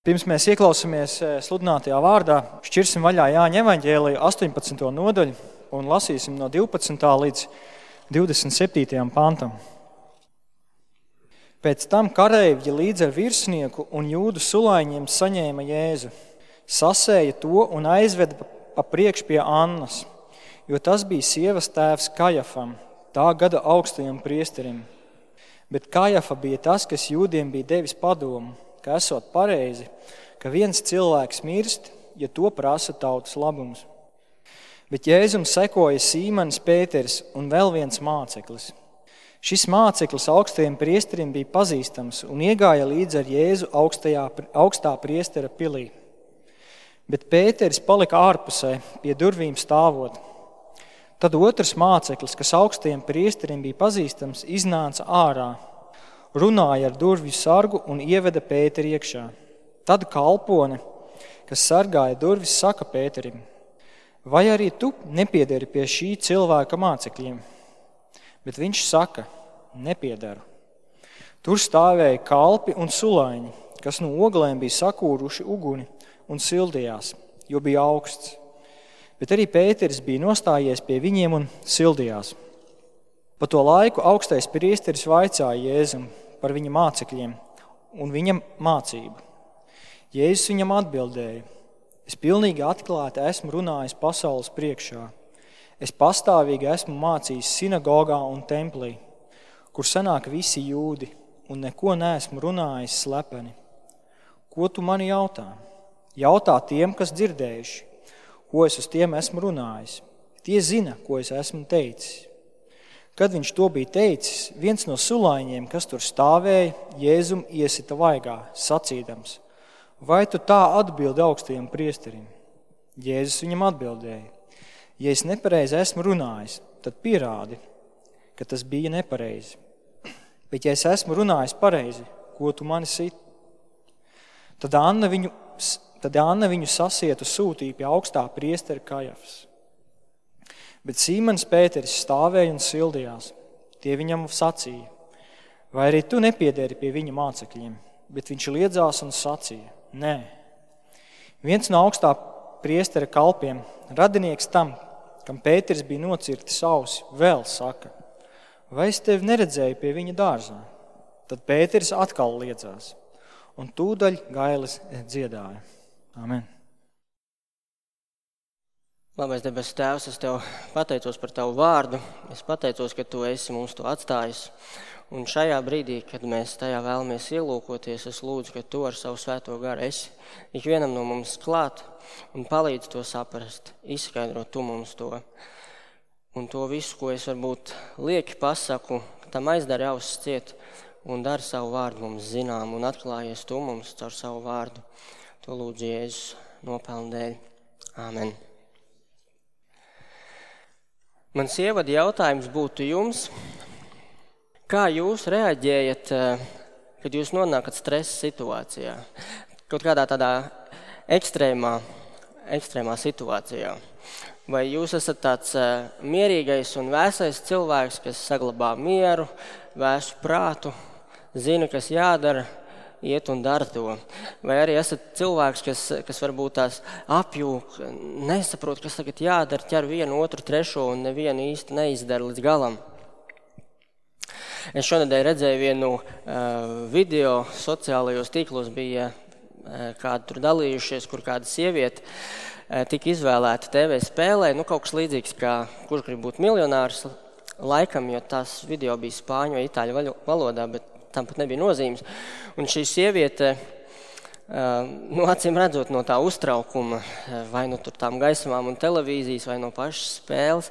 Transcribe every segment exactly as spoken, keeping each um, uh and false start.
Pirms mēs ieklausāmies sludinātajā vārdā, šķirsim vaļā Jāņa evaņģēliju astoņpadsmito nodaļu un lasīsim no divpadsmitā līdz divdesmit septītajam pantam. Pēc tam kareivji līdz ar virsnieku un jūdu sulaiņiem saņēma Jēzu, sasēja to un aizveda pa priekš pie Annas, jo tas bija sievas tēvs Kajafam, tā gada augstajam priesterim. Bet Kajafa bija tas, kas jūdiem bija devis padomu, ka esot pareizi, ka viens cilvēks mirst, ja to prasa tautas labums. Bet Jēzum sekoja Sīmanis Pēteris un vēl viens māceklis. Šis māceklis augstajam priesterim bija pazīstams un iegāja līdz ar Jēzu augstajā, augstā priestera pilī. Bet Pēteris palika ārpusē, pie durvīm stāvot. Tad otrs māceklis, kas augstajam priesterim bija pazīstams, iznāca ārā, runāja ar durvju sargu un ieveda Pēteri iekšā. Tad kalpone, kas sargāja durvis, saka Pēterim: vai arī tu nepiederi pie šī cilvēka mācekļiem? Bet viņš saka: nepiedaru. Tur stāvēja kalpi un sulaiņi, kas no oglēm bija sakūruši uguni un sildījās, jo bija augsts. Bet arī Pēteris bija nostājies pie viņiem un sildījās. Pa to laiku augstais priesteris vaicāja Jēzum par viņa mācekļiem un viņa mācību. Jēzus viņam atbildēja: es pilnīgi atklāti esmu runājis pasaules priekšā. Es pastāvīgi esmu mācījis sinagogā un templī, kur sanāk visi jūdi, un neko neesmu runājis slepeni. Ko tu mani jautā? Jautā tiem, kas dzirdējuši, ko es uz tiem esmu runājis. Tie zina, ko es esmu teicis. Kad viņš to bija teicis, viens no sulaiņiem, kas tur stāvēja, Jēzum iesita vaigā, sacīdams: vai tu tā atbildi augstajam priesterim? Jēzus viņam atbildēja: ja es nepareizi esmu runājis, tad pierādi, ka tas bija nepareizi. Bet ja es esmu runājis pareizi, ko tu mani sit? Tad Anna viņu, tad Anna viņu sasietu sūtīja pie augstā priestera Kajafas. Bet Sīmanis Pēteris stāvēja un sildījās. Tie viņam sacīja: vai arī tu nepiederi pie viņa mācekļiem? Bet viņš liedzās un sacīja: nē. Viens no augstā priestera kalpiem, radinieks tam, kam Pēteris bija nocirtis ausi, vēl saka: vai es tevi neredzēju pie viņa dārzā? Tad Pēteris atkal liedzās, un tūdaļ gailis dziedāja. Amen. Labais debes Tēvs, es Tev pateicos par Tavu vārdu. Es pateicos, ka Tu esi mums to atstājis. Un šajā brīdī, kad mēs tajā vēlamies ielūkoties, es lūdzu, ka Tu ar savu svēto garu esi ikvienam no mums klāt un palīdz to saprast, izskaidrot Tu mums to. Un to visu, ko es varbūt lieki pasaku, tam aizdari ausis ciet un dari savu vārdu mums zinām un atklājies Tu mums caur savu vārdu. To lūdzu Jēzus nopelnu dēļ. Āmen. Mans ievada jautājums būtu jums: kā jūs reaģējat, kad jūs nonākat stresa situācijā? Kaut kādā tādā ekstrēmā, ekstrēmā situācijā. Vai jūs esat tāds mierīgais un vēsais cilvēks, kas saglabā mieru, vēsu prātu, zina, kas jādara, iet un dara to? Vai arī esat cilvēks, kas, kas varbūt tās apjūk, nesaprot, kas tagad jādara, ķer vienu, otru, trešo un nevienu īsti neizdara līdz galam? Es šonedēļ redzēju vienu uh, video, sociālajos tīklos bija uh, kādi tur dalījušies, kur kāda sieviete uh, tika izvēlēta T V spēlē, nu kaut kas līdzīgs kā Kurš grib būt miljonārs laikam, jo tās video bija spāņu vai itāļu valodā, bet tam pat nebija nozīmes. Un šī sieviete, nu, acīm redzot no tā uztraukuma, vai no tur tām gaismām un televīzijas, vai no pašas spēles,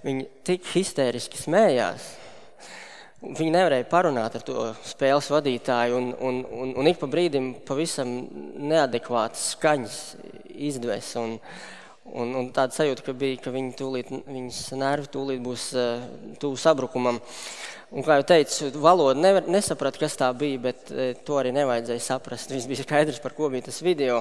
viņa tik histēriski smējās. Viņa nevarēja parunāt ar to spēles vadītāju, un, un, un, un ik pa brīdim pavisam neadekvātas skaņas izdves. Un, un, un tāda sajūta, ka bija, ka viņa tūlīt, viņas nervi tūlīt būs tuvu sabrukumam. Un, kā jau teicu, valoda nevar, nesaprata, kas tā bija, bet e, to arī nevajadzēja saprast. Viss bija skaidrs, par ko bija tas video.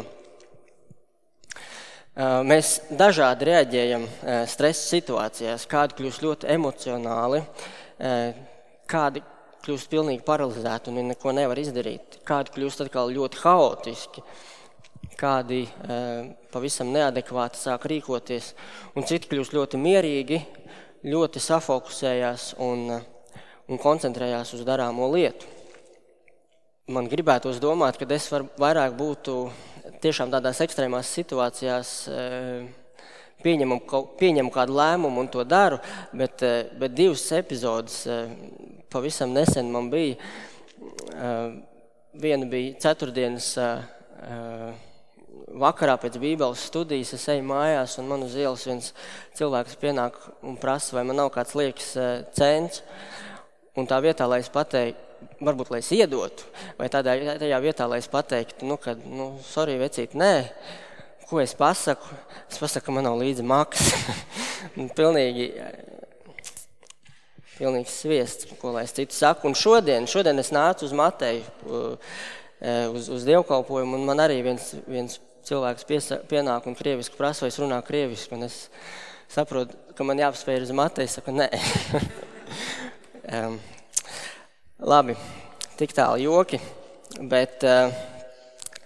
E, mēs dažādi reaģējam e, stresa situācijās. Kādi kļūst ļoti emocionāli, e, kādi kļūst pilnīgi paralizēti un neko nevar izdarīt. Kādi kļūst atkal ļoti haotiski kādi pavisam neadekvāti sāk rīkoties, un citi kļūst ļoti mierīgi, ļoti safokusējās un, un koncentrējās uz darāmo lietu. Man gribētos domāt, ka es var, vairāk būtu tiešām tādās ekstrēmās situācijās pieņemu, pieņemu kādu lēmumu un to daru, bet, bet divas epizodes pavisam nesen man bija. Viena bija ceturtdienas vakarā pēc bībeles studijas, es eju mājās un man uz ielas viens cilvēks pienāk un prasa, vai man nav kāds liekas cents, un tā vietā, lai es pateiktu, varbūt, lai es iedotu, vai tādā, tajā vietā, lai es pateiktu, nu, kad, nu, sorry, vecīt, nē, ko es pasaku? Es pasaku, ka man nav līdzi maksas. pilnīgi, pilnīgi sviests, ko lai es citu saku. Un šodien, šodien es nācu uz Mateju, uz, uz dievkalpojumu, un man arī viens, viens cilvēks piesa, pienāk un krieviski prasa, vai es runāju krieviski, un es saprotu, ka man jāpaspēj uz Mateju, saku, nē. um, Labi, tik tālu joki, bet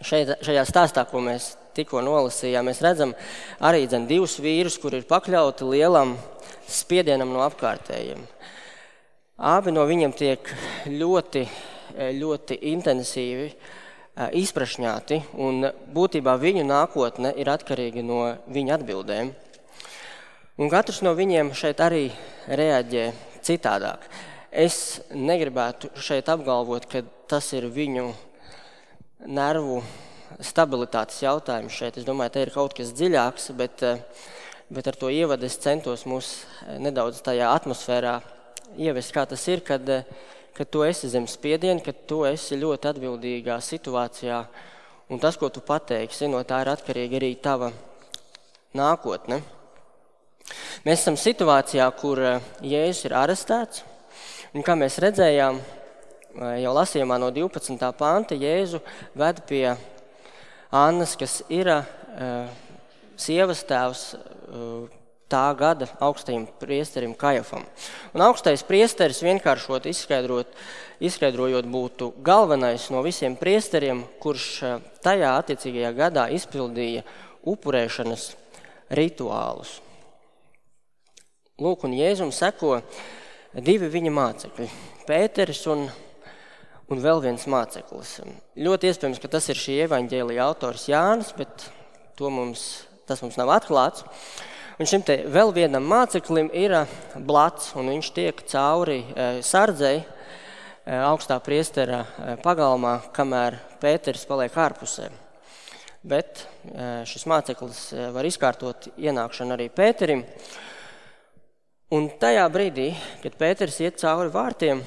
šeit, šajā stāstā, ko mēs tikko nolasījām, mēs redzam arī dzen, divus vīrus, kur ir pakļauti lielam spiedienam no apkārtējiem. Abi no viņiem tiek ļoti, ļoti intensīvi izprašņāti, un būtībā viņu nākotne ir atkarīga no viņa atbildēm. Un katrs no viņiem šeit arī reaģē citādāk. Es negribētu šeit apgalvot, ka tas ir viņu nervu stabilitātes jautājums šeit. Es domāju, te ir kaut kas dziļāks, bet, bet ar to ievadu es centos mūs nedaudz tajā atmosfērā ievest, kā tas ir, kad, kad tu esi zem spiediena, kad tu esi ļoti atbildīgā situācijā, un tas, ko tu pateiksi, no tā ir atkarīga arī tava nākotne. Mēs esam situācijā, kur Jēzus ir arestēts, un kā mēs redzējām, jau lasījumā no divpadsmitā panta, Jēzu ved pie Annas, kas ir uh, sievas tēvs uh, tā gada augstajam priesterim Kajafam. Un augstais priesteris vienkāršot izskaidrot, izskaidrojot būtu galvenais no visiem priesteriem, kurš uh, tajā attiecīgajā gadā izpildīja upurēšanas rituālus. Lūk, un Jēzum seko divi viņa mācekļi, Pēteris un, un vēl viens māceklis. Ļoti iespējams, ka tas ir šī evaņģēlija autors Jānis, bet to mums, tas mums nav atklāts. Un šim te vēl vienam māceklim ir blats, un viņš tiek cauri sardzei augstā priestera pagalmā, kamēr Pēteris paliek ārpusē. Bet šis māceklis var izkārtot ienākšanu arī Pēterim. Un tajā brīdī, kad Pēteris iet cauri vārtiem,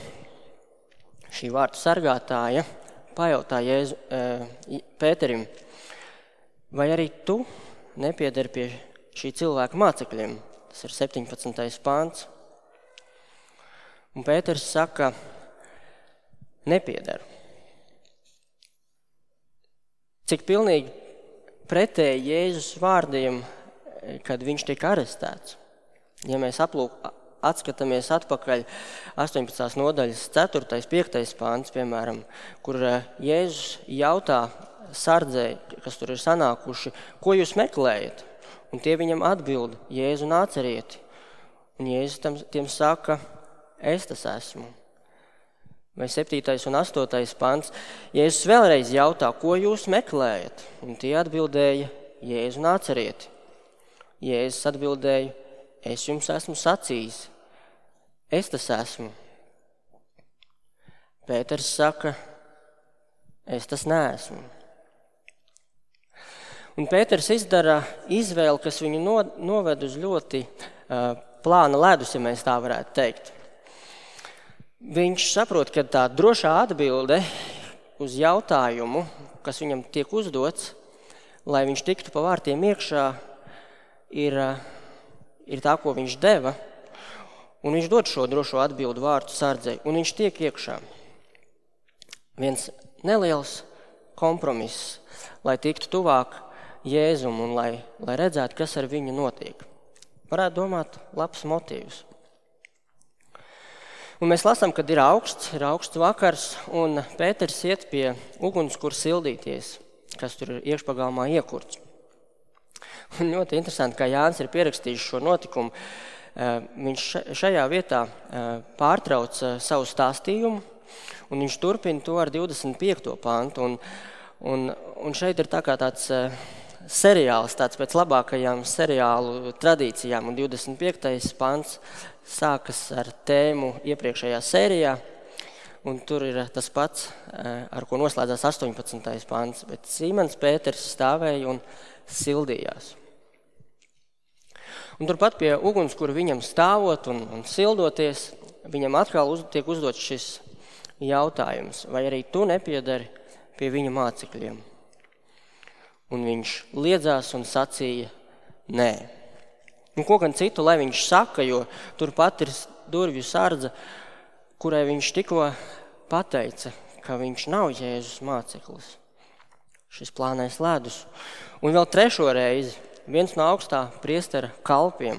šī vārtu sargātāja pajautā Jēzu, e, Pēterim, vai arī tu nepiederi pie šī cilvēka mācekļiem? Tas ir septiņpadsmitais pāns. Un Pēteris saka, nepiederu. Cik pilnīgi pretēji Jēzus vārdiem, kad viņš tika arestēts. Ja mēs aplūk, atskatāmies atpakaļ astoņpadsmitās nodaļas ceturtais, piektais pāns, piemēram, kur Jēzus jautā sardzei, kas tur ir sanākuši, ko jūs meklējat? Un tie viņam atbild, Jēzu Nācerieti. Un Jēzus tam, tiem saka, es tas esmu. Vai septītais un astotais pāns, Jēzus vēlreiz jautā, ko jūs meklējat? Un tie atbildēja, Jēzu Nācerieti. Jēzus atbildēja, es jums esmu sacījis, es tas esmu. Pēters saka, es tas neesmu. Un Pēters izdara izvēli, kas viņu no, noved uz ļoti uh, plāna ledus, ja mēs tā varētu teikt. Viņš saprot, ka tā drošā atbilde uz jautājumu, kas viņam tiek uzdots, lai viņš tiktu pa vārtiem iekšā, ir uh, ir tā, ko viņš deva, un viņš dod šo drošo atbildu vārtu sardzei, un viņš tiek iekšā. Viens neliels kompromiss, lai tiktu tuvāk Jēzum un lai, lai redzētu, kas ar viņu notiek. Varētu domāt labs motīvs. Un mēs lasām, kad ir augsts, ir augsts vakars, un Pēters iet pie uguns, kur sildīties. kas tur ir iekšpagalmā iekurts. Un ļoti interesanti, kā Jānis ir pierakstījis šo notikumu. Viņš šajā vietā pārtrauc savu stāstījumu, un viņš turpina to ar divdesmit piekto pantu. Un, un, un šeit ir tā kā tāds seriāls, tāds pēc labākajām seriālu tradīcijām, un divdesmit piektais pants sākas ar tēmu iepriekšējā sērijā, un tur ir tas pats, ar ko noslēdzās astoņpadsmitais pants, bet Simons Pēters stāvēja un sildījās. Un turpat pie uguns, kur viņam stāvot un, un sildoties, viņam atkal uz, tiek uzdots šis jautājums, vai arī tu nepiedari pie viņa mācekļiem? Un viņš liedzās un sacīja, nē. Un ko gan citu, lai viņš saka, jo turpat ir durvju sardze, kurai viņš tikko pateica, ka viņš nav Jēzus māceklis. Šis plānais ledus. Un vēl trešo reizi viens no augstā priestera kalpiem,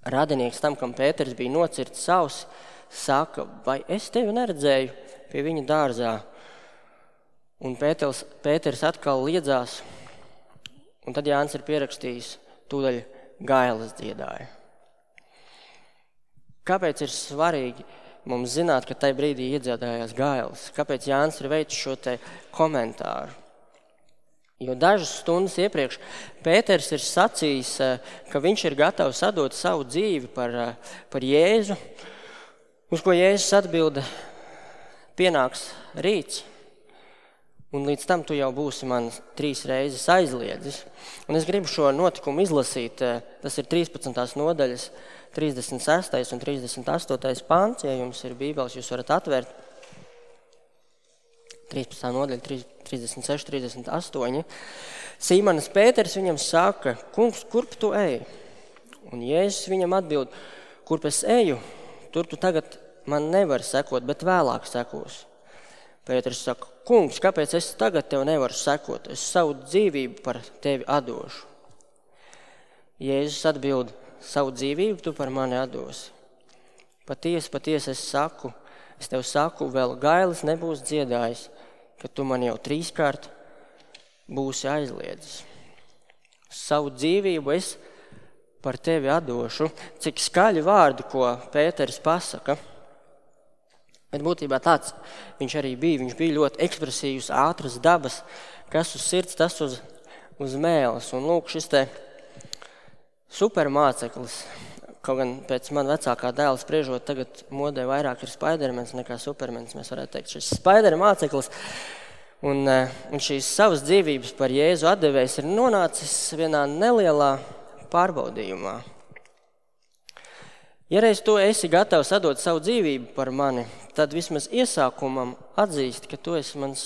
radinieks tam, kam Pēters bija nocirts savs, saka, vai es tevi neredzēju pie viņa dārzā? Un Pēters, Pēters atkal liedzās, un tad Jānis ir pierakstījis, tūdaļ gailas dziedāja. Kāpēc ir svarīgi mums zināt, ka tajā brīdī iedziedājās gailas? Kāpēc Jānis ir veicis šo te komentāru? Jo dažas stundas iepriekš Pēters ir sacījis, ka viņš ir gatavs atdot savu dzīvi par, par Jēzu, uz ko Jēzus atbilda, pienāks rīts, un līdz tam tu jau būsi man trīs reizes aizliedzis. Un es gribu šo notikumu izlasīt, tas ir trīspadsmitās nodaļas, trīsdesmit sestais un trīsdesmit astotais pants, ja jums ir bībeles, jūs varat atvērt. trīspadsmitā nodaļa, trīsdesmit seši, trīsdesmit astoņi. Sīmanis Pēters viņam saka, kungs, kurp tu ej? Un Jēzus viņam atbild, kurp es eju, tur tu tagad man nevari sekot, bet vēlāk sekos. Pēters saka, kungs, kāpēc es tagad tev nevaru sekot? Es savu dzīvību par tevi atdošu. Jēzus atbild, savu dzīvību tu par mani atdosi. Patiesi, patiesi es saku, es tev saku, vēl gailis nebūs dziedājis, ka tu man jau trīskārt būsi aizliedzis. Savu dzīvību es par tevi atdošu. Cik skaļi vārdi, ko Pēteris pasaka. Bet būtībā tāds viņš arī bija. Viņš bija ļoti ekspresīvs, ātras dabas, kas uz sirds, tas uz, uz mēles. Un lūk, šis te supermāceklis, kaut gan pēc man vecākā dēla spriežot, tagad modē vairāk ir Spidermans nekā Supermans, mēs varētu teikt. Šis Spidermāceklis un, un šīs savas dzīvības par Jēzu atdevējs ir nonācis vienā nelielā pārbaudījumā. Ja reiz tu esi gatavs atdot savu dzīvību par mani, tad vismaz iesākumam atzīst, ka tu esi mans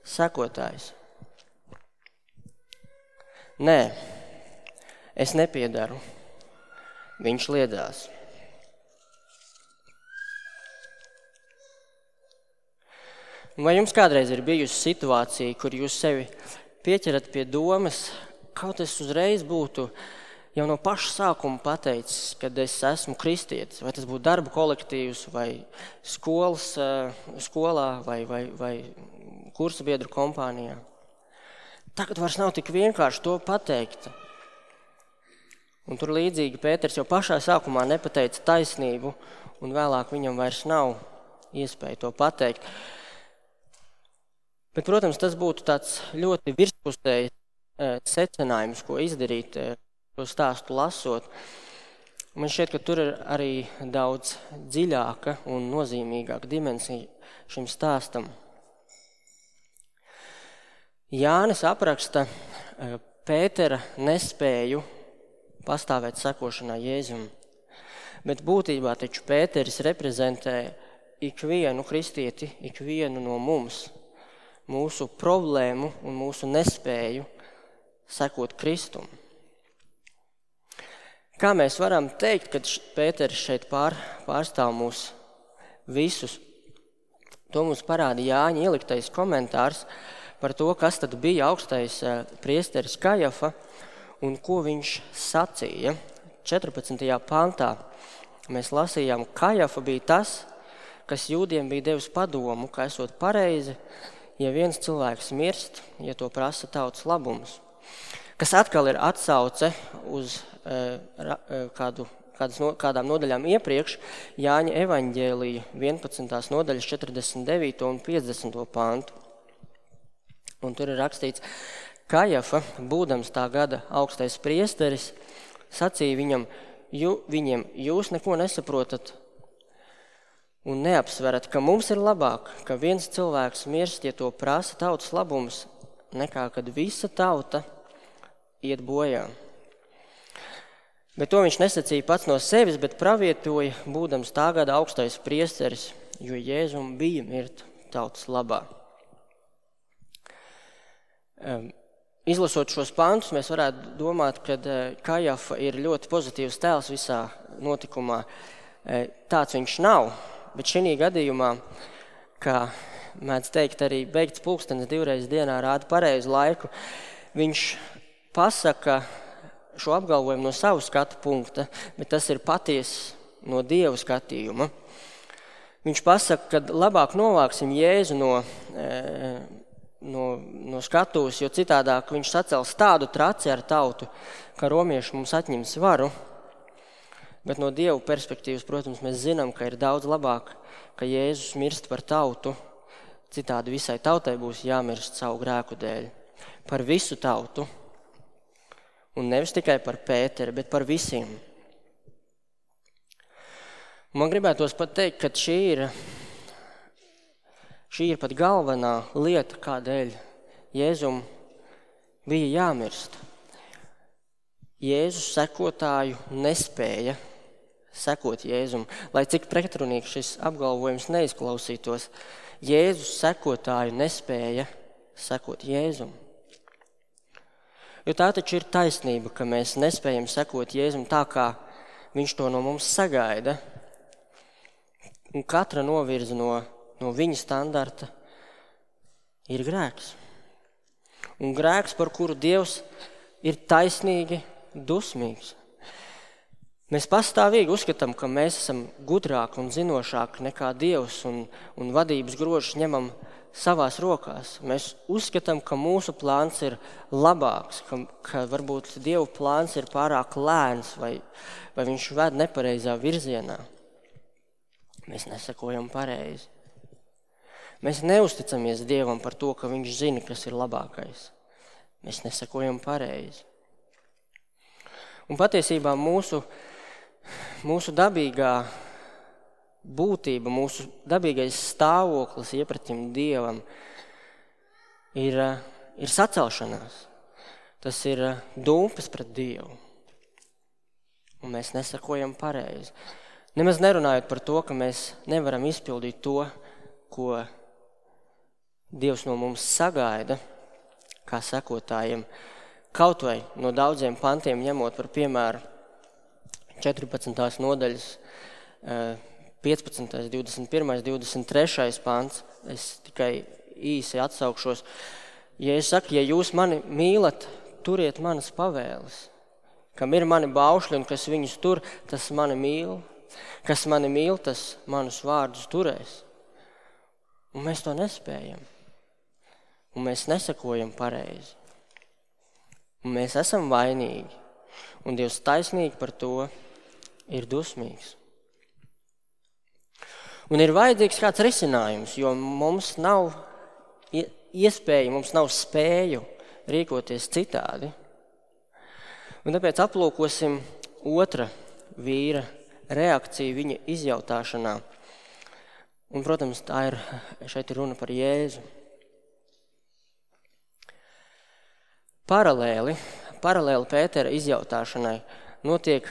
sekotājs. Nē, es nepiedaru. Viņš liedzās. Vai jums kādreiz ir bijusi situācija, kur jūs sevi pieķerat pie domas, kaut es uzreiz būtu jau no paša sākuma pateicis, kad es esmu kristietis, vai tas būtu darba kolektīvs, vai skolas, skolā, vai, vai, vai kursa biedru kompānijā. Tagad vairs nav tik vienkārši to pateikt. Un tur līdzīgi Pēters jau pašā sākumā nepateica taisnību, un vēlāk viņam vairs nav iespēja to pateikt. Bet, protams, tas būtu tāds ļoti virspusējs secinājums, ko izdarīt, to stāstu lasot. Man šķiet, ka tur ir arī daudz dziļāka un nozīmīgāka dimensija šim stāstam. Jānis apraksta Pētera nespēju pastāvēt sekošanā Jēzum. Bet būtībā taču Pēteris reprezentē ikvienu kristieti, ikvienu no mums, mūsu problēmu un mūsu nespēju sekot Kristum. Kā mēs varam teikt, kad Pēteris šeit pār, pārstāv mūs visus? To mums parāda Jāņa ieliktais komentārs par to, kas tad bija augstais priesteris Kajafa, un ko viņš sacīja. četrpadsmitajā pantā mēs lasījām, Kajafa bija tas, kas jūdiem bija devis padomu, ka esot pareizi ja viens cilvēks mirst, ja to prasa tautas labums. Kas atkal ir atsauce uz uh, kādu, kādas, no, kādām nodaļām iepriekš, Jāņa evaņģēlija vienpadsmitās nodaļas četrdesmit devīto un piecdesmito pantu. Un tur ir rakstīts, Kajafa, būdams tā gada augstais priesteris, sacīja viņam, ju, viņiem, jūs neko nesaprotat un neapsverat, ka mums ir labāk, ka viens cilvēks mirst, ja to prasa tautas labums, nekā kad visa tauta iet bojā. Bet to viņš nesacīja pats no sevis, bet pravietoja, būdams tā gada augstais priesteris, jo Jēzum bija mirt tautas labā. Um, Izlasot šos pantus, mēs varētu domāt, ka Kajafa ir ļoti pozitīvs tēls visā notikumā. Tāds viņš nav, bet šī gadījumā, kā mēdz teikt, arī beigts pulkstenis divreiz dienā rāda pareizu laiku, viņš pasaka šo apgalvojumu no savu skatu punkta, bet tas ir patiesi no Dieva skatījuma. Viņš pasaka, ka labāk novāksim Jēzu no... E, No, no skatuves, jo citādāk viņš sacels tādu traci ar tautu, ka romieši mums atņems varu. Bet no Dieva perspektīvas, protams, mēs zinām, ka ir daudz labāk, ka Jēzus mirst par tautu, citādi visai tautai būs jāmirst savu grēku dēļ. Par visu tautu. Un nevis tikai par Pēteri, bet par visiem. Man gribētos pat teikt, ka šī ir... Šī ir pat galvenā lieta, kādēļ Jēzum bija jāmirst. Jēzus sekotāju nespēja sekot Jēzum, lai cik pretrunīgs šis apgalvojums neizklausītos. Jēzus sekotāju nespēja sekot Jēzum. Jo tā taču ir taisnība, ka mēs nespējam sekot Jēzum tā, kā viņš to no mums sagaida. Un katra novirza no no viņa standarta ir grēks. Un grēks, par kuru Dievs ir taisnīgi dusmīgs. Mēs pastāvīgi uzskatām, ka mēs esam gudrāki un zinošāki nekā Dievs un, un vadības grožus ņemam savās rokās. Mēs uzskatām, ka mūsu plāns ir labāks, ka, ka varbūt Dieva plāns ir pārāk lēns vai, vai viņš ved nepareizā virzienā. Mēs nesakojam pareizi. Mēs neusticamies Dievam par to, ka viņš zina, kas ir labākais. Mēs nesakojam pareizi. Un patiesībā mūsu, mūsu dabīgā būtība, mūsu dabīgais stāvoklis iepratim Dievam ir, ir sacelšanās. Tas ir dūmpes pret Dievu. Un mēs nesakojam pareizi. Nemaz nerunājot par to, ka mēs nevaram izpildīt to, ko Dievs no mums sagaida, kā sekotājiem, kaut vai no daudziem pantiem ņemot par piemēru četrpadsmitās nodaļas piecpadsmitais, divdesmit pirmais, divdesmit trešais pants. Es tikai īsi atsaukšos. Ja es saku, ja jūs mani mīlat, turiet manas pavēles. Kam ir mani baušļi un kas viņus tur, tas mani mīl. Kas mani mīl, tas manus vārdus turēs. Un mēs to nespējam. Un mēs nesakojam pareizi. Un mēs esam vainīgi. Un Dievs taisnīgi par to ir dusmīgs. Un ir vajadzīgs kāds risinājums, jo mums nav iespēja, mums nav spēju rīkoties citādi. Un tāpēc aplūkosim otra vīra reakciju viņa izjautāšanā. Un, protams, tā ir, šeit ir runa par Jēzu. Paralēli, paralēli Pētera izjautāšanai notiek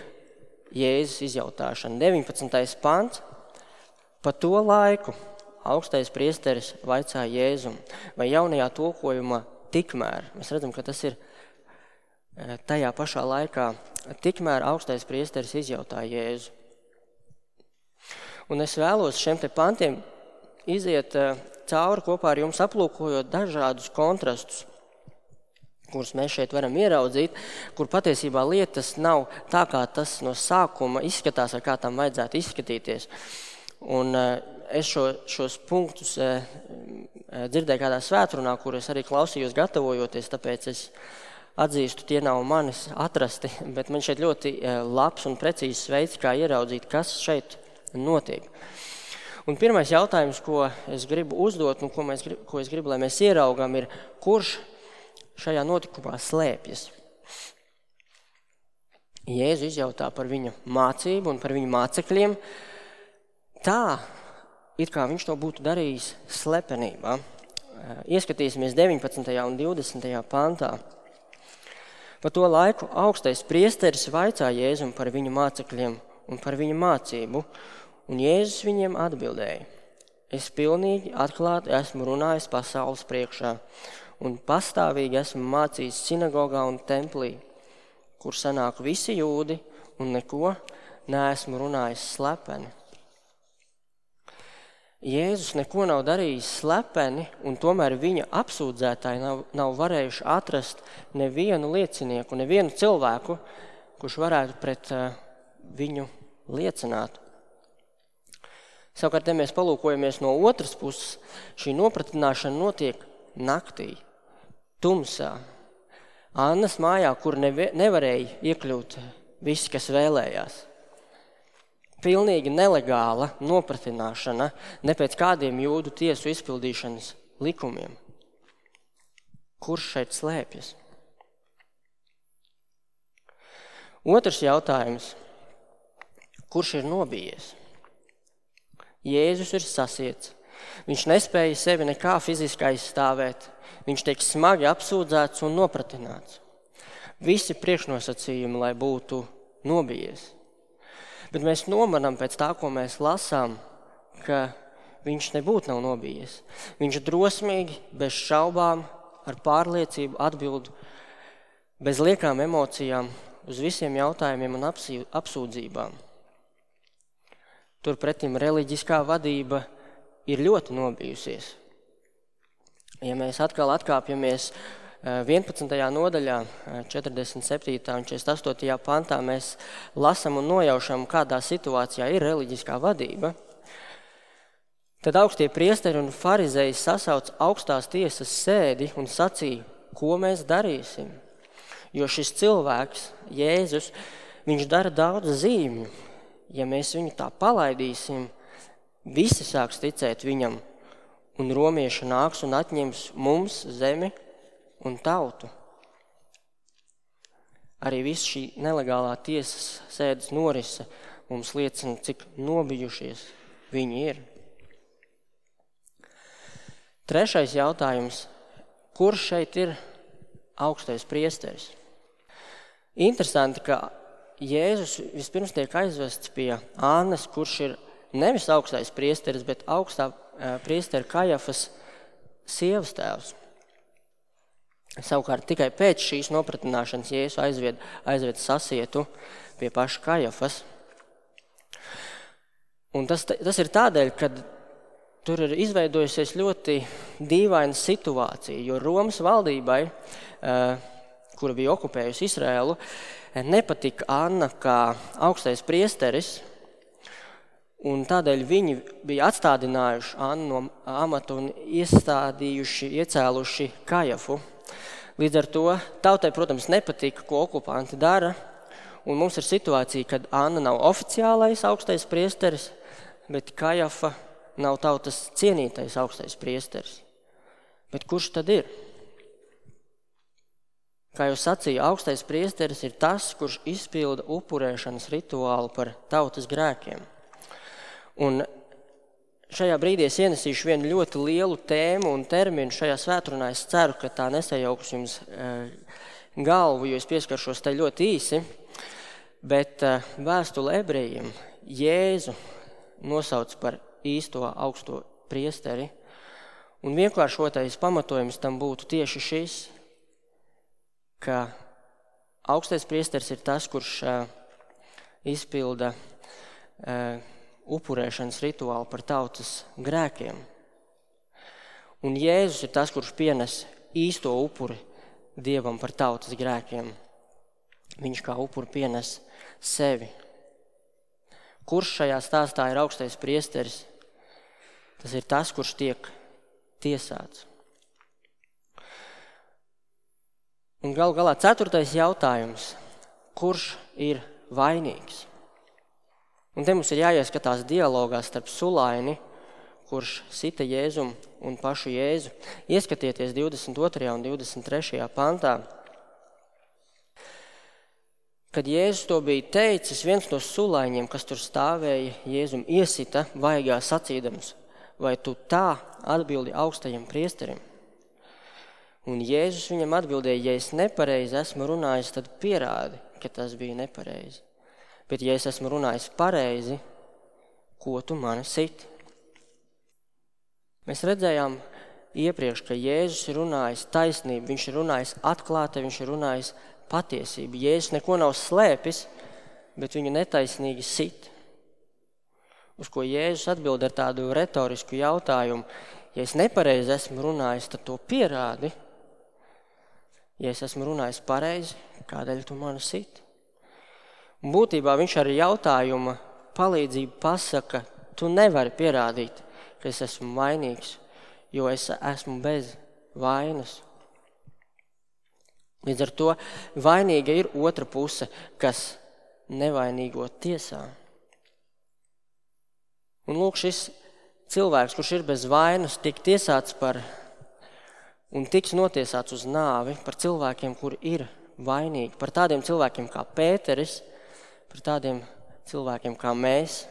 Jēzus izjautāšana. deviņpadsmitais pants. Pa to laiku augstais priesteris vaicāja Jēzum, vai jaunajā tulkojumā tikmēr. Mēs redzam, ka tas ir tajā pašā laikā. Tikmēr augstais priesteris izjautāja Jēzu. Un es vēlos šiem te pantiem iziet cauri kopā ar jums, aplūkojot dažādus kontrastus, kurus mēs šeit varam ieraudzīt, kur patiesībā lietas nav tā, kā tas no sākuma izskatās, vai kā tam vajadzētu izskatīties. Un es šo, šos punktus dzirdēju kādā svētrunā, kur es arī klausījos gatavojoties, tāpēc es atzīstu, tie nav manis atrasti, bet man šeit ļoti labs un precīzs veids, kā ieraudzīt, kas šeit notiek. Un pirmais jautājums, ko es gribu uzdot, un ko, mēs, ko es gribu, lai mēs ieraugam, ir, kurš šajā notikumā slēpjas. Jēzu izjautā par viņa mācību un par viņa mācekļiem tā, it kā viņš to būtu darījis slepenībā. Ieskatīsimies deviņpadsmitajā un divdesmitajā pantā. Pa to laiku augstais priesteris vaicā Jēzum par viņa mācekļiem un par viņa mācību, un Jēzus viņiem atbildēja: Es pilnīgi atklāti esmu runājis pasaules priekšā, un pastāvīgi esmu mācījis sinagogā un templī, kur sanāk visi jūdi, un neko neesmu runājis slepeni. Jēzus neko nav darījis slepeni, un tomēr viņa apsūdzētāji nav, nav varējuši atrast nevienu liecinieku, nevienu cilvēku, kurš varētu pret uh, viņu liecināt. Savukārt, ja mēs palūkojamies no otras puses, šī nopratināšana notiek naktī, tumsā, Annas mājā, kur neve, nevarēja iekļūt visi, kas vēlējās. Pilnīgi nelegāla nopratināšana, ne pēc kādiem jūdu tiesu izpildīšanas likumiem. Kurš šeit slēpjas? Otrs jautājums. Kurš ir nobijies? Jēzus ir sasiets. Viņš nespēja sevi nekā fiziski aizstāvēt. Viņš tiek smagi apsūdzēts un nopratināts. Visi priekšnosacījumi, lai būtu nobijies. Bet mēs nomanām pēc tā, ko mēs lasām, ka viņš nebūtu nav nobijies. Viņš drosmīgi, bez šaubām, ar pārliecību atbild bez liekām emocijām uz visiem jautājumiem un apsūdzībām. Turpretim reliģiskā vadība ir ļoti nobijusies. Ja mēs atkal atkāpjamies vienpadsmitajā nodaļā, četrdesmit septītajā un četrdesmit astotajā pantā, mēs lasam un nojaušam, kādā situācijā ir reliģiskā vadība. Tad augstie priesteri un farizeji sasauc augstās tiesas sēdi un sacīja, ko mēs darīsim. Jo šis cilvēks, Jēzus, viņš dara daudz zīmju. Ja mēs viņu tā palaidīsim, visi sāks ticēt viņam, un romieši nāks un atņems mums zemi un tautu. Arī viss šī nelegālā tiesas sēdes norise mums liecina, cik nobijušies viņi ir. Trešais jautājums. Kurš šeit ir augstais priesteris? Interesanti, ka Jēzus vispirms tiek aizvests pie Annas, kurš ir nevis augstais priesteris, bet augstā priestera Kajafas sievas tēvs. Savukārt tikai pēc šīs nopratināšanas Jēzus aizved, aizved sasietu pie paša Kajafas. Un tas, tas ir tādēļ, ka tur ir izveidojusies ļoti dīvaina situācija, jo Romas valdībai, kura bija okupējusi Izraēlu, nepatika Anna kā augstais priesteris, un tādēļ viņi bija atstādinājuši Annu no amata un iestādījuši, iecēluši Kajafu. Līdz ar to tautai, protams, nepatika, ko okupanti dara, un mums ir situācija, kad Anna nav oficiālais augstais priesteris, bet Kajafa nav tautas cienītais augstais priesteris. Bet kurš tad ir? Kā jau sacīja, augstais priesteris ir tas, kurš izpilda upurēšanas rituālu par tautas grēkiem. Un šajā brīdī es ienesīšu vienu ļoti lielu tēmu un terminu šajā svētrunā. Es ceru, ka tā nesajauks jums galvu, jo es pieskaršos tai ļoti īsi. Bet vēstule ebrejiem Jēzu nosauc par īsto augsto priesteri. Un vienkāršotais pamatojums tam būtu tieši šis, ka augstais priesteris ir tas, kurš izpilda upurēšanas rituālu par tautas grēkiem. Un Jēzus ir tas, kurš pienes īsto upuri Dievam par tautas grēkiem. Viņš kā upuri pienes sevi. Kurš šajā stāstā ir augstais priesteris? Tas ir tas, kurš tiek tiesāts. Un gal galā ceturtais jautājums. Kurš ir vainīgs? Un te mums ir jāieskatās dialogā starp Sulaini, kurš sita Jēzum un pašu Jēzu. Ieskatieties divdesmit otrajā un divdesmit trešajā pantā. Kad Jēzus to bija teicis, viens no sulaiņiem, kas tur stāvēja, Jēzum iesita vaigā sacīdams, vai tu tā atbildi augstajam priesterim? Un Jēzus viņam atbildēja, ja es nepareizi esmu runājis, tad pierādi, ka tas bija nepareizi. Bet ja es esmu runājis pareizi, ko tu mani siti? Mēs redzējām iepriekš, ka Jēzus ir runājis taisnību, viņš ir runājis atklāti, viņš ir runājis patiesību. Jēzus neko nav slēpis, bet viņu netaisnīgi sit. Uz ko Jēzus atbild ar tādu retorisku jautājumu. Ja es nepareizi esmu runājis, tad to pierādi. Ja es esmu runājis pareizi, kādēļ tu mani sit? Un būtībā viņš ar jautājuma palīdzību pasaka, tu nevari pierādīt, ka es esmu vainīgs, jo es esmu bez vainas. Līdz ar to vainīga ir otra puse, kas nevainīgo tiesā. Un lūk, šis cilvēks, kurš ir bez vainas, tiek tiesāts par un tiks notiesāts uz nāvi par cilvēkiem, kuri ir vainīgi, par tādiem cilvēkiem kā Pēteris, par tādiem cilvēkiem kā mēs.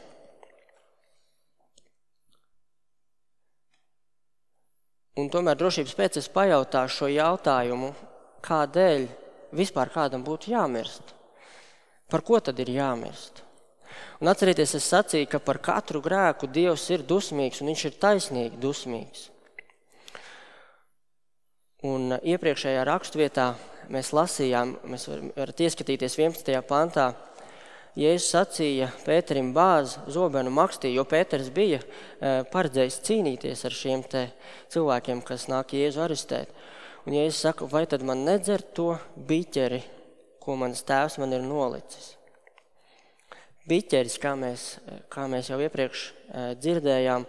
Un tomēr drošības pēc es pajautāšu šo jautājumu, kādēļ vispār kādam būtu jāmirst? Par ko tad ir jāmirst? Un atcerieties, es sacīju, ka par katru grēku Dievs ir dusmīgs un viņš ir taisnīgi dusmīgs. Un iepriekšējā rakstvietā mēs lasījām, mēs varat ieskatīties vienpadsmitajā pantā, Jēzus sacīja Pēterim bāz zobenu makstī, jo Pēters bija paredzējis cīnīties ar šiem te cilvēkiem, kas nāk Jēzu arestēt. Un Jēzus saka, vai tad man nedzer to biķeri, ko mans tēvs man ir nolicis? Biķeris, kā mēs, kā mēs jau iepriekš dzirdējām,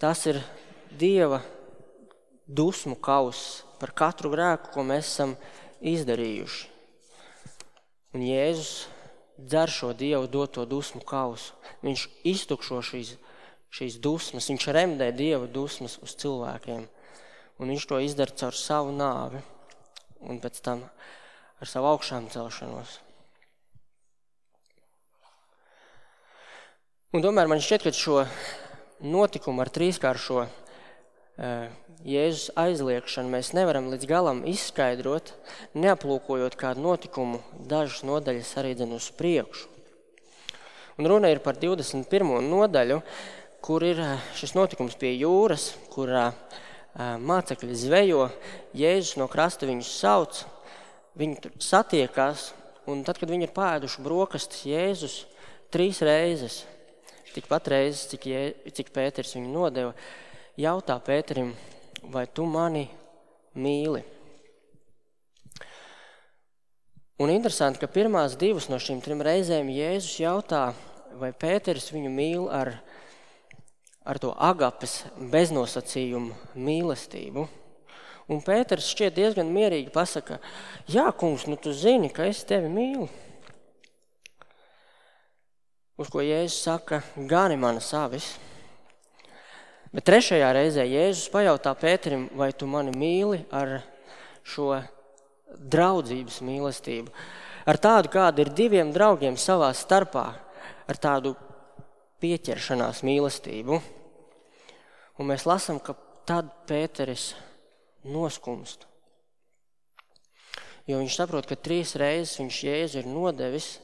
tas ir Dieva dusmu kauss par katru grēku, ko mēs esam izdarījuši. Un Jēzus dzer šo Dievu doto dusmu kausu. Viņš iztukšo šīs, šīs dusmas, viņš remdē Dieva dusmas uz cilvēkiem. Un viņš to izdara caur savu nāvi un pēc tam ar savu augšām celšanos. Un tomēr man šķiet, ka šo notikumu ar trīskāršo Jēzus aizliekšanu mēs nevaram līdz galam izskaidrot, neaplūkojot kādu notikumu dažas nodaļas arī dzen uz priekšu. Un runa ir par divdesmit pirmo nodaļu, kur ir šis notikums pie jūras, kurā mācekļi zvejo, Jēzus no krasta viņus sauc, viņi tur satiekās, un tad, kad viņi ir pāēduši brokastis, Jēzus trīs reizes, tikpat reizes, cik, Jē, cik Pēters viņu nodeva, jautā Pēterim, vai tu mani mīli? Un interesanti, ka pirmās divas no šīm trim reizēm Jēzus jautā, vai Pēteris viņu mīl ar, ar to agapes beznosacījumu mīlestību. Un Pēteris šķiet diezgan mierīgi pasaka, jā, kungs, nu tu zini, ka es tevi mīlu. Uz ko Jēzus saka, gani manas avis. Bet trešajā reizē Jēzus pajautā Pēterim, vai tu mani mīli ar šo draudzības mīlestību. Ar tādu, kāda ir diviem draugiem savā starpā, ar tādu pieķeršanās mīlestību. Un mēs lasām, ka tad Pēteris noskumst. Jo viņš saprot, ka trīs reizes viņš Jēzu ir nodevis,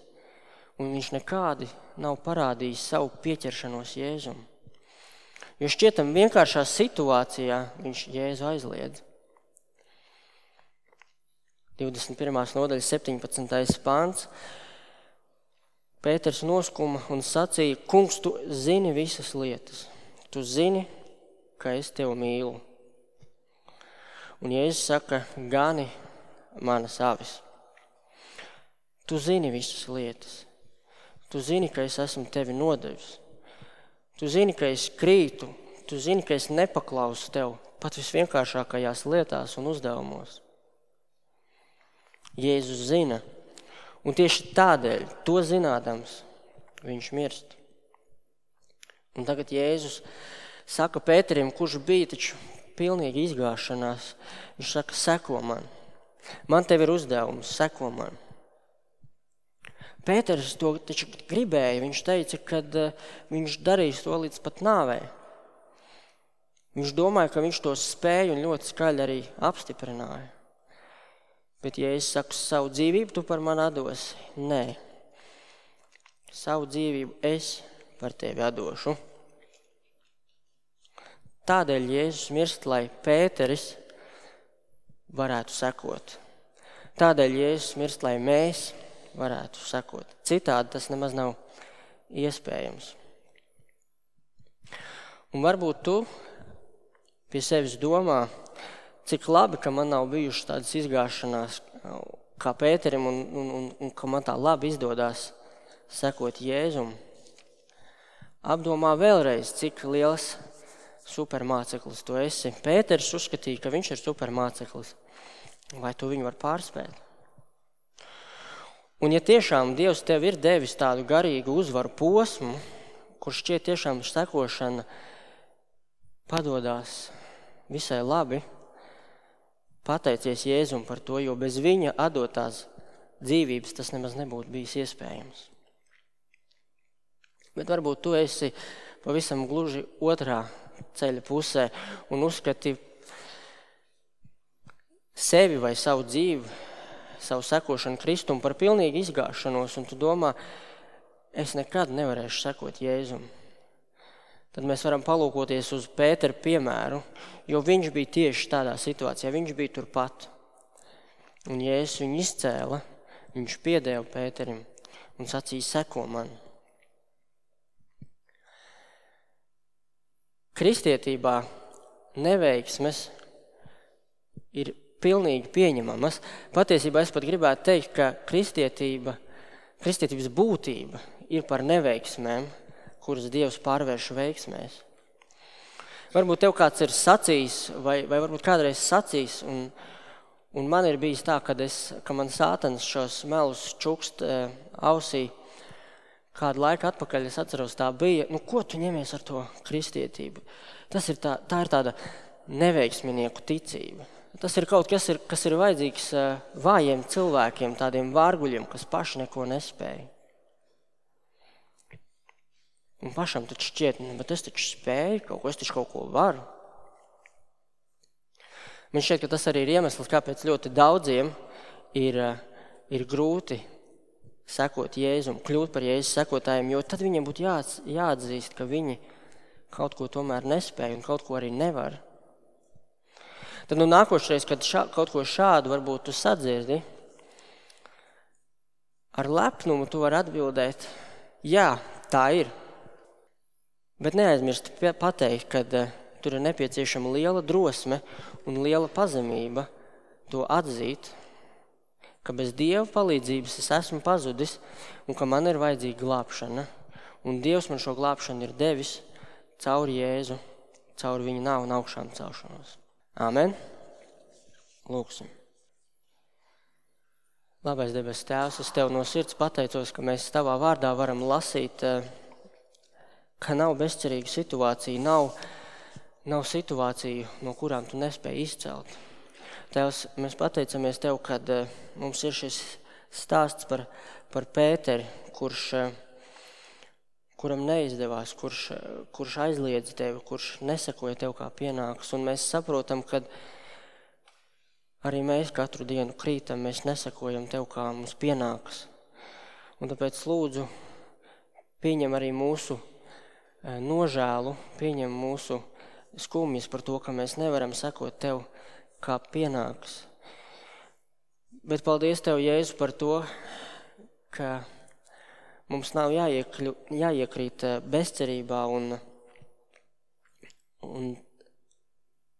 un viņš nekādi nav parādījis savu pieķeršanos Jēzum. Jo šķietam vienkāršā situācijā viņš Jēzu aizliedz. divdesmit pirmās nodaļas septiņpadsmitais pants. Pēters noskuma un sacīja, kungs, tu zini visas lietas. Tu zini, ka es tevi mīlu. Un Jēzus saka, gani manas avis. Tu zini visas lietas. Tu zini, ka es esmu tevi nodevis. Tu zini, ka es krītu, tu zini, ka es nepaklausu tev pat visvienkāršākajās lietās un uzdevumos. Jēzus zina, un tieši tādēļ, to zinādams, viņš mirst. Un tagad Jēzus saka Pēterim, kurš bija taču pilnīgi izgāšanās, viņš saka, seko man. Man tev ir uzdevums, seko man. Pēters to taču gribēja, viņš teica, ka viņš darīs to līdz pat nāvei. Viņš domāja, ka viņš to spēja un ļoti skaļi arī apstiprināja. Bet, ja es saku, savu dzīvību tu par mani atdosi, nē. Savu dzīvību es par tevi atdošu. Tādēļ Jēzus mirst, lai Pēteris varētu sekot. Tādēļ Jēzus mirst, lai mēs varētu sekot. Citādi tas nemaz nav iespējams. Un varbūt tu pie sevis domā, cik labi, ka man nav bijušas tādas izgāšanās kā Pēterim un, un, un, un ka man tā labi izdodās sekot Jēzum. Apdomā vēlreiz, cik liels supermāceklis tu esi. Pēters uzskatīja, ka viņš ir supermāceklis. Vai tu viņu var pārspēt? Un ja tiešām Dievs tev ir devis tādu garīgu uzvaru posmu, kurš šķiet tiešām sekošana padodās visai labi, pateicies Jēzum par to, jo bez viņa atdotās dzīvības tas nemaz nebūtu bijis iespējams. Bet varbūt tu esi pavisam gluži otrā ceļa pusē un uzskati sevi vai savu dzīvi, savu sekošanu Kristumu par pilnīgi izgāšanos, un tu domā, es nekad nevarēšu sekot Jēzum. Tad mēs varam palūkoties uz Pētera piemēru, jo viņš bija tieši tādā situācijā, viņš bija turpat. Un Jēzus viņu izcēla, viņš piedeva Pēterim un sacīja, seko man. Kristietībā neveiksmes ir pilnīgi pieņemamas. Patiesībā es pat gribētu teikt, ka kristietība, kristietības būtība ir par neveiksmēm, kuras Dievs pārvērš veiksmēs. Varbūt tev kāds ir sacījis, vai, vai varbūt kādreiz sacījis, un, un man ir bijis tā, kad, es, ka man sātans šos melus čukst e, ausī. Kādu laiku atpakaļ es atceros, tā bija, nu ko tu ņemies ar to kristietību? Tas ir tā, tā ir tāda neveiksminieku ticība. Tas ir kaut kas, ir, kas ir vajadzīgs vājiem cilvēkiem, tādiem vārguļiem, kas paši neko nespēja. Un pašam taču šķiet, bet es taču spēju, kaut ko, es taču kaut ko varu. Man šķiet, ka tas arī ir iemesls, kāpēc ļoti daudziem ir, ir grūti sekot Jēzum, kļūt par Jēzus sekotājiem, jo tad viņiem būtu jā, jāatzīst, ka viņi kaut ko tomēr nespēja un kaut ko arī nevar. Tad nu nākošreiz, kad šā, kaut ko šādu varbūt tu sadzirdi, ar lepnumu tu vari atbildēt, jā, tā ir. Bet neaizmirst pateikt, kad uh, tur ir nepieciešama liela drosme un liela pazemība to atzīt, ka bez Dieva palīdzības es esmu pazudis un ka man ir vajadzīga glābšana. Un Dievs man šo glābšanu ir devis caur Jēzu, caur viņa nāvu un augšām celšanos. Āmen. Lūksim. Labais debes Tēvs, es Tev no sirds pateicos, ka mēs Tavā vārdā varam lasīt, ka nav bezcerīga situācija, nav, nav situāciju, no kurām Tu nespēji izcelt. Tēvs, mēs pateicamies Tev, kad mums ir šis stāsts par, par Pēteri, kurš, kuram neizdevās, kurš, kurš aizliedz Tevi, kurš nesekoja Tev kā pienākas. Un mēs saprotam, ka arī mēs katru dienu krītam, mēs nesakojam Tev, kā mums pienākas. Un tāpēc lūdzu, pieņem arī mūsu nožēlu, pieņem mūsu skumjas par to, ka mēs nevaram sekot Tev, kā pienākas. Bet paldies Tev, Jēzu, par to, ka mums nav jāiekļu, jāiekrīt bezcerībā un, un,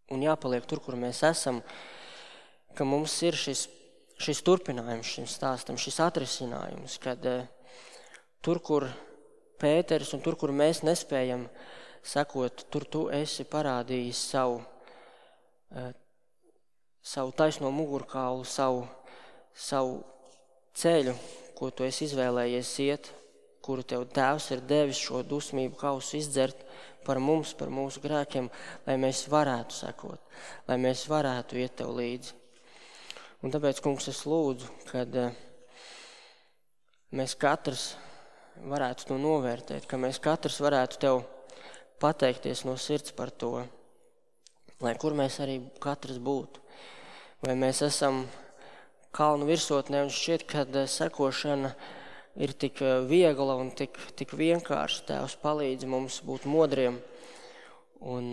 un jāpaliek tur, kur mēs esam, ka mums ir šis, šis turpinājums šim stāstam, šis atrisinājums, kad tur, kur Pēteris un tur, kur mēs nespējam sakot, tur tu esi parādījis savu, savu taisno mugurkaulu, savu, savu ceļu, ko tu esi izvēlējies iet, kuru tev Tēvs ir devis šo dusmību kausu izdzert par mums, par mūsu grēkiem, lai mēs varētu sekot, lai mēs varētu iet tev līdzi. Un tāpēc, kungs, es lūdzu, kad mēs katrs varētu to novērtēt, ka mēs katrs varētu tev pateikties no sirds par to, lai kur mēs arī katrs būtu. Vai mēs esam kalnu virsotnē un šķiet, kad sekošana ir tik viegla un tik, tik vienkārši. Tēvs palīdz mums būt modriem un,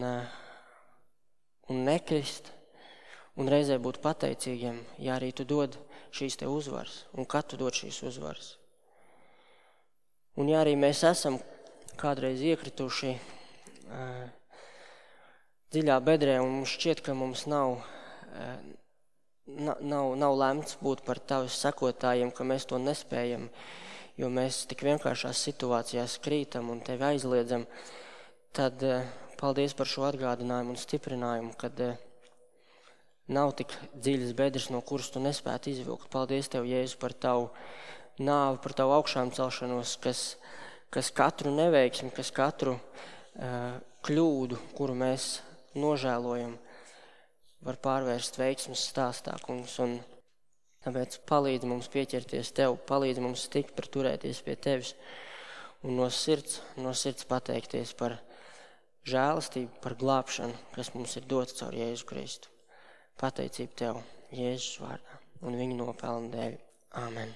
un nekrist un reizē būt pateicīgiem, ja arī tu dod šīs te uzvaras un kad tu dod šīs uzvaras. Un ja arī mēs esam kādreiz iekrituši uh, dziļā bedrē un mums šķiet, ka mums nav, uh, nav, nav lemts būt par tavas sekotājiem, ka mēs to nespējam, jo mēs tik vienkāršās situācijās krītam un tevi aizliedzam, tad uh, paldies par šo atgādinājumu un stiprinājumu, kad uh, nav tik dziļas bedres, no kuras tu nespētu izvilkt. Paldies tev, Jēzu, par tavu nāvi, par tavu augšām celšanos, kas, kas katru neveiksmi, kas katru uh, kļūdu, kuru mēs nožēlojam, var pārvērst veiksmes stāstā, kungs. Un tāpēc palīdzi mums pieķerties tev, palīdzi mums stipri turēties pie tevis un no sirds, no sirds pateikties par žēlastību, par glābšanu, kas mums ir dots caur Jēzu Kristu. Pateicību tev, Jēzus vārdā un viņa nopelna dēļ. Āmen.